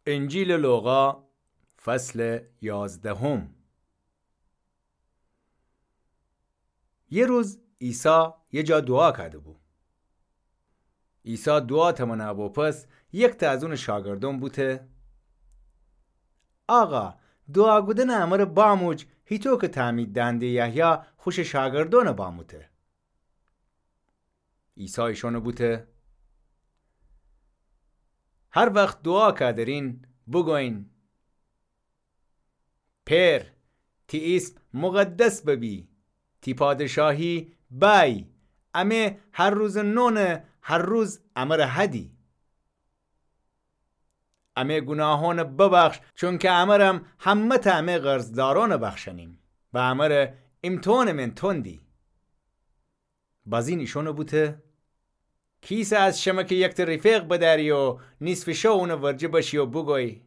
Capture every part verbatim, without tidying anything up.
انجیلٚ لوقا، فصلٚ یازدهم. یه روز عیسی یه جا دوعا کده‌بو. عیسی دوعا تمنا بوپس، یکتأ از اونٚ شاگردأن بوته: آقا، دوعا کودنٚ امر باموج، هیتو که تعمید دهنده یحیی خوشٚ شاگردأنٚ باموته. عیسی ایشأنٚ بوته: هر وخت دوعا کدرین، بوگوین: پئر، تی ایسم مقدس ببی، تی پادشاهی بأیی، امه هر روزٚ نونٚ هر روز امر هدی. امه گوناهأنٚ ببخش، چونکه امرم همه‌تأ امه قرضدارأنٚ بخشأنیم و امر ایمتحانٚ من تندی. بازین ایشأنٚ بوته: کیسه از شمه که یکتأ ریفق بدأری و نیصفٚ شو اونٚ ورجه بشی و بوگوی: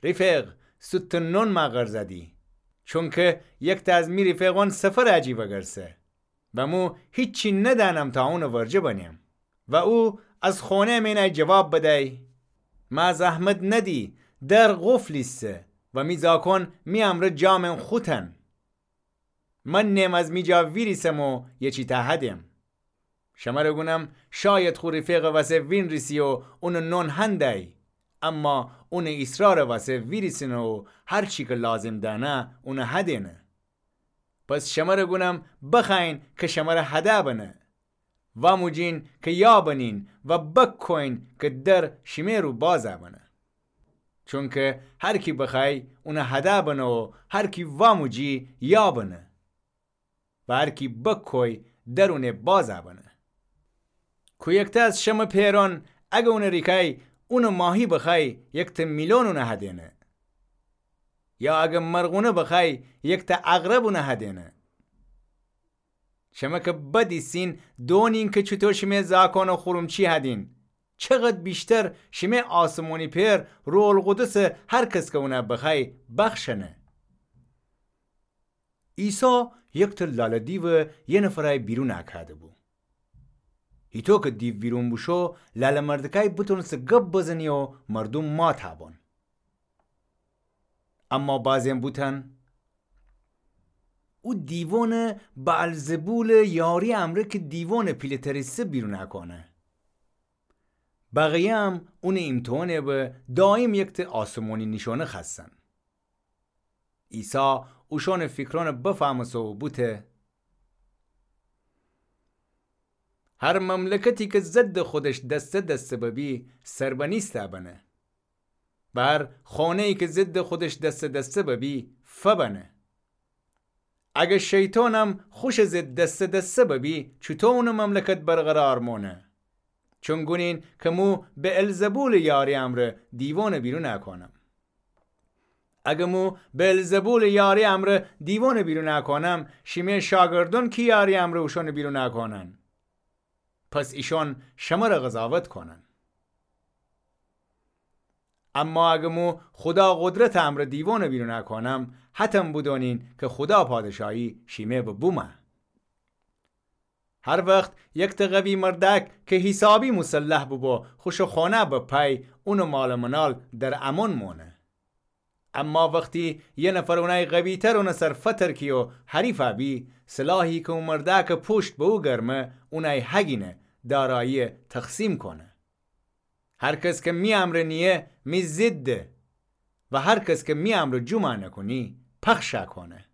ریفق، سوتٚ نون مأ قرض دی، چونکه یکتأ از می ریفقأن سفر اجی وگرسه و مو هیچی ندأنم تا اونٚ ورجه بنم. و او از خونه مئن ای جواب بدی: مأ زحمت ندی، در قفل ایسه و می زاکأن می امرأ جا مئن خوتن. من نئم از می جا ویریسم و یه چی تأ هدم. شمر گونم، شاید خو ریفقٚ وسه وینریسی و اونٚ نون هندی، اما اونٚ ایسرارٚ وسه ویریسینه و هر چی که لازم دأنه، اونٚ هدینه. پس شمر گونم، بخوأیین که شمر هده بنه. واموجین که یا بنین و بکویین که در شیمه رو باز بنه. چونکه هر کی بخوأی، اونٚ هده بنه و هر کی واموجی، یا بنه و هر کی بکوی، در اونٚ باز بنه. کو یکتأ از شمه پئرأن، اگه اونٚ ریکای اونٚ ماهی بخوأی، یکتأ میلون اونٚ هدینه؟ یا اگه مرغونه بخوأی، یکتأ عقرب اونٚ هدینه؟ شمه که بد ایسین، دونین که چوطو شیمه زاکأنٚ خورمچی هدین، چقد ویشتر شیمه آسمانی پئر روح‌القدسٚ هر کس که اونٚ بخوأی بخشأنه. عیسی یکتأ لاله‌دیو یه نفرأی بیرون کده‌بو. هیطو که دیو بیرون بوشو، لاله مردکأی بتونسه گب بزنی و مردوم مات بون. اما بعضی‌یأن بوتن: او دیوأنٚ بعلزبولٚ یاری امرأ که دیوأنٚ پیله‌تریسه بیرون کونه. بقیه‌یم اونٚ ایمتحانٚ به دایم یکتأ آسمانی نیشأنه خوأستن. عیسی اوشأنٚ فیکرأنٚ بفهمسه و بوته: هر مملکتی که ضدٚ خودش دسته دسته ببی، سربنیسته بنه. و هر خانه‌یی که ضدٚ خودش دسته دسته ببی، فبنه. اگه شیطانم خوشٚ ضد دسته دسته ببی، چوطو اونٚ مملکت برقرار مانه؟ چون گونین که مو بعلزبولٚ یاری امرأ دیوأنٚ بیرون کونم. اگه مو بعلزبولٚ یاری امرأ دیوأنٚ بیرون کونم، شیمه شاگردأن کی یاری امرأ اوشأنٚ بیرون کونن؟ پس ایشأن شمر قضاوت کونن. اما اگه مو خودا قدرتٚ امرأ دیوأنٚ بیرون کونم، حتم بدونین که خودا پادشاهی شیمه به بومه. هر وخت یکتأ قوی مردأک که حیسابی مسلح بوبو، خوشٚ خانه بپای، اونٚ مالٚ منال در امأن مانه. اما وختی یه نفر اونأی قوی‌تر اونٚ سر فترکی و حریف بی، سلاحی که او مردأکٚ پوشت به او گرمه، اونأی هگینه، دارایی‌یه تقسیم کونه. هر کس که می امرأ نییه، می ضده و هر کس که می امرأ جمع نکونی، پخش کونه.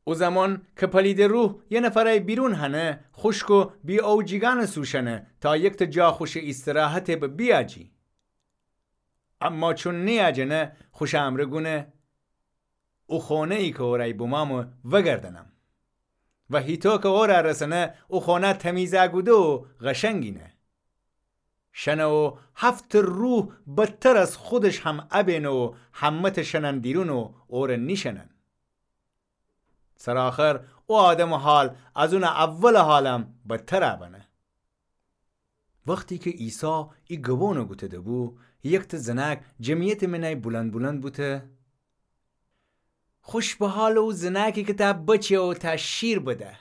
او زمان که پلیدٚ روح یه نفرأی بیرون هنه، خوشک و بی‌اوجیگأنٚ سو شنه تا یکتأ جا خوشٚ ایستراحتٚ به بیأجی. اما چون نیأجنه، خوشٚ امرأ گونه: او خانه‌یی که اورأی بومأمه وگردأنم. و هیطو که اورأ رسنه، او خانه تمیز کوده و قشنگینه. شنه و هفت‌تأ روح بدتر از خودش هم ابینه و همه‌تأ شنن دیرون و اورأ نیشنن. سرٚ آخر او آدمٚ حال از اونٚ اولٚ حالم بدتر بنه. وختی که عیسی ای گبأنٚ گوته‌ده‌بو، یکتأ زنأک جمعیتٚ مئنأی بلند بلند بوته: خوش به حالٚ او زنأکی که تأ بچه و تأ شیر بده.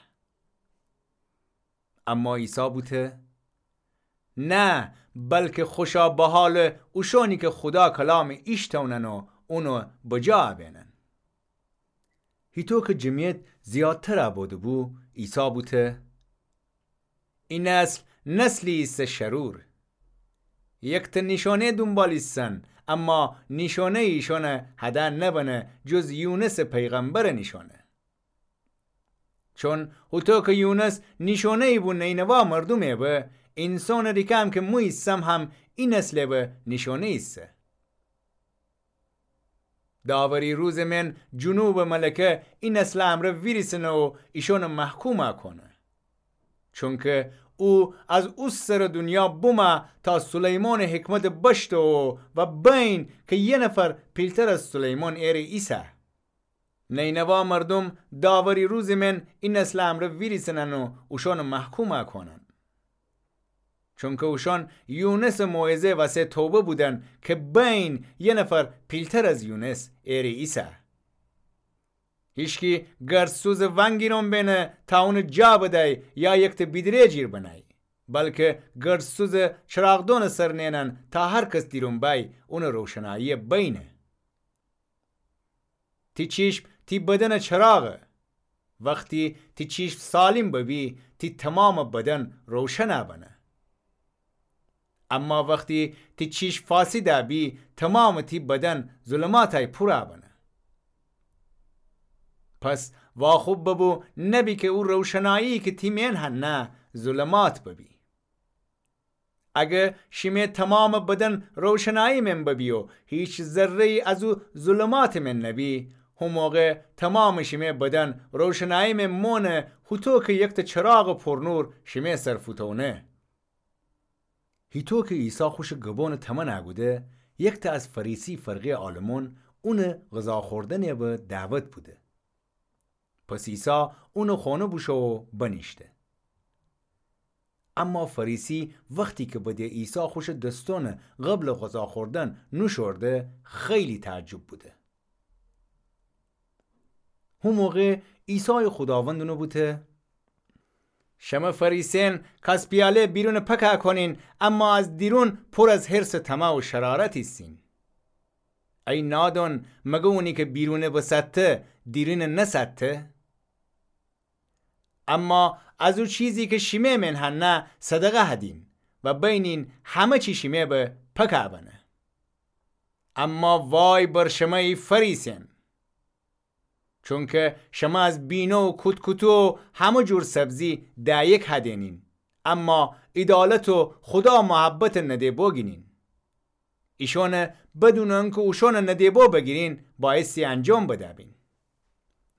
اما عیسی بوته: نه، بلکه خوشا بحالٚ اوشانی که خودا کلامٚ ایشتونن و اونو بجا بینن. هیطو که جمعیت زیادتر بوده‌بو، عیسی بوته: ای نسل نسلی ایسه شرور. یکته نیشانه دونبال ایسن، اما نیشانه ایشانه هده نبنه جز یونسٚ پیغمبرٚ نیشانه. چون هوطو که یونس نیشانه‌یی بو نینوا مردومه به، اینسانٚ ریکه هم که مو ایسم هم ای نسله به نیشانه ایسه. داوری روزٚ من جنوبٚ ملکه ای نسلٚ امرأ ویریسنه و ایشانٚ محکوم کونه. چونکه او از او سرٚ دونیا بومه تا سلیمانٚ حکمتٚ بشتو و بین که یه نفر پیلتر از سلیمان ایره ایسه. نینوا مردوم داوری روزٚ من ای نسلٚ امرأ ویریسنن و اوشانٚ محکوم کونن. چونکه اوشان یونسٚ موعظه وسه توبه بودن که بین یه نفر پیلتر از یونس ایره ایسه. هیچکی گردسوزٚ ونگیرون بینه تا اونٚ جا بدی یا یکته بیدره جیر بنی، بلکه گردسوزٚ چراغدونٚ سر نینن تا هر کس دیرون بی اونٚ روشنایی بینه. تی چیشم تی بدنٚ چراغه. وختی تی چیشم سالم ببی، تی تومامٚ بدن روشن بنه. اما وختی تی چیشم فاسد بی، تومامٚ تی بدن ظلماتای پور بنه. پس واخوب ببو نبی که او روشنایی که تی مین هنه ظلمات ببی. اگه شیمه تومامٚ بدن روشنایی من ببی و هیچ ذره‌یی از او ظلماتٚ من نبی، هو موقع تومامٚ شیمه بدن روشنایی من مونه، هوطو که یکته چراغٚ پورنور شیمه سر فوتونه. هیطو که عیسی خوشٚ گبونٚ تمن کوده، یکته از فریسی فرقه‌یٚ عالمون اونٚ غذا خوردنٚ به دعوت بوده. پس عیسی اونٚ خونه بوشو و بنیشته. اما فریسی وختی که بده عیسی خوشٚ دستونٚ قبلٚ غذا خوردن نوشورده، خیلی تعجب بوده. هو موقع عیسایٚ خوداوند اونه بوته: شمه فریسین کاس پیاله بیرون پک کونین، اما از دیرون پور از حرصٚ طمع و شرارت ایسین. ای نادون، مگه اونی که بیرونه بساته، دیرینه نساته؟ اما از او چیزی که شیمه من هنه صدقه هدین و بینین همه چی شیمه به پک بنه. اما وای بر شمه ای فریسین! چونکه شمه از بینه و کوت‌کوتو و همه جور سبزی دأیک هدینین، اما عیدالت و خودا محبت نده‌بو گینین. ایشانه بدون انکه اوشانه نده‌بو بگیرین، بایستی انجام بده‌بین.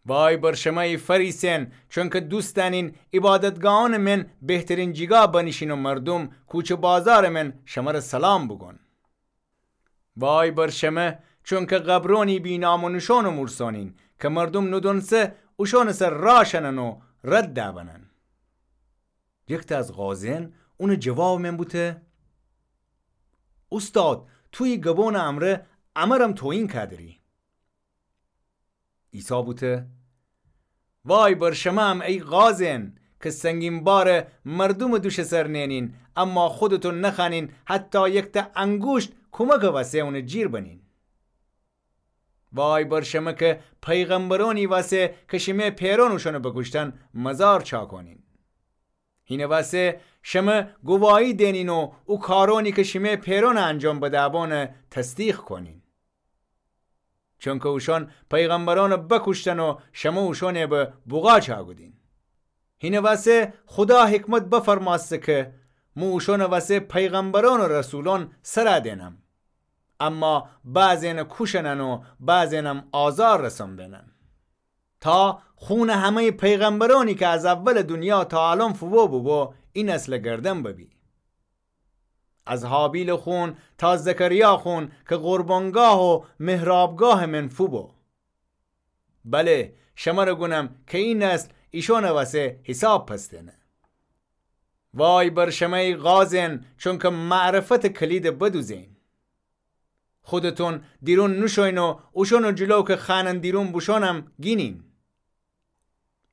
وای بر شمه ای فریسین! چونکه دوست دأنین عبادتگاهانٚ من بهترین جیگا بنیشین و مردوم کوچه بازارٚ من شمره سلام بوگون. وای بر شمه، چونکه قبرونی بی نام و نشان و مورسانین، که مردوم ندونسه اوشانٚ سر راه شنن و رد دأبنن. یکته از قاضیین اونٚ جوابٚ من بوته: اوستاد، تو ای گبونٚ امرأ امرم توهین کودری. عیسی بوته: وای بر شمه‌ام ای قاضیین، که سنگین بارٚ مردومٚ دوشٚ سر نئنین، اما خودتون نخوأنین حتی یکته انگوشت کومکٚ وسه اونٚ جیر بنین. وای بر شمه که پیغمبرونی وسه که شیمه پئرون اوشانٚ بکوشتن مزار چاکونین. هینٚ وسه شمه گواهی دئنین و او کارونی که شیمه پئرونٚ انجام بده‌بانه تصدیق کونین. چونکه اوشان پیغمبرانٚ بکوشتن و شمه اوشانٚ به بوغا چاکودین. هینٚ وسه خودا حکمت بفرمأسته که مو اوشانٚ وسه پیغمبران و رسولان سر دئنم. اما بعضی‌یأنه کوشنن و بعضی‌یأنم آزار رسون بینن. تا خونٚ همه‌یٚ پیغمبرانی که از اولٚ دونیا تا الأن فوبو بوبو، ای نسلٚ گردن ببی. از هابیلٚ خون تا زکریا خون که قربانگاه و محرابگاهٚ من فوبو. بله، شمره گونم که ای نسل ایشانٚ وسه حساب پس دئنه. وای بر شمه ای قاضیین، چونکه معرفتٚ کلیدٚ بدوزین. خودتون دیرون نوشوین و اوشانٚ جلو که خوأنن دیرون بوشونم گینین.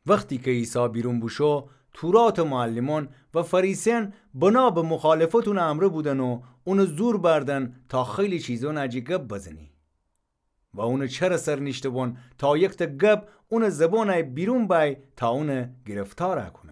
وختی که عیسی بیرون بوشو، توراتٚ معلمأن و فریسیأن بنا به مخالفت اونٚ امرأ بودن و اونٚ زور بأردن تا خیلی چیزأنٚ جٚه گب بزنی. و اونٚ چرٚ سر نیشته‌بون تا یکتا گب اونٚ زبانٚ بیرون بأی تا اون گرفتار کونی.